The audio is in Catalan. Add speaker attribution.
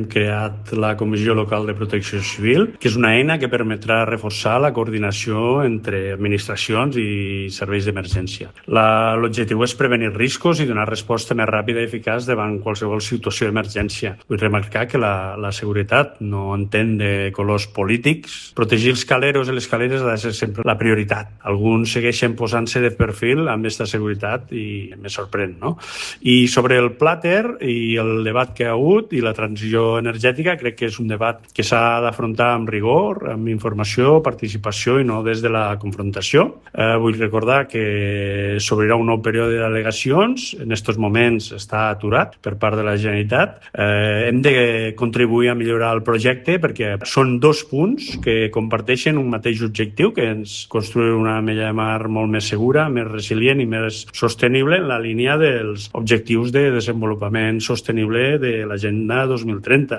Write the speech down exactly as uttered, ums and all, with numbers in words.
Speaker 1: Hem creat la Comissió Local de Protecció Civil, que és una eina que permetrà reforçar la coordinació entre administracions i serveis d'emergència. L'objectiu és prevenir riscos i donar resposta més ràpida i eficaç davant qualsevol situació d'emergència. Vull remarcar que la, la seguretat no entén de colors polítics. Protegir els caleros i les caleres ha de ser sempre la prioritat. Alguns segueixen posant-se de perfil amb aquesta seguretat i me sorprèn, no? I sobre el plàter i el debat que ha hagut i la transició energètica, crec que és un debat que s'ha d'afrontar amb rigor, amb informació, participació i no des de la confrontació. Eh, vull recordar que s'obrirà un nou període d'al·legacions. En aquests moments està aturat per part de la Generalitat. Eh, hem de contribuir a millorar el projecte perquè són dos punts que comparteixen un mateix objectiu, que és construir una mella de mar molt més segura, més resilient i més sostenible en la línia dels objectius de desenvolupament sostenible de l'Agenda dos mil trenta.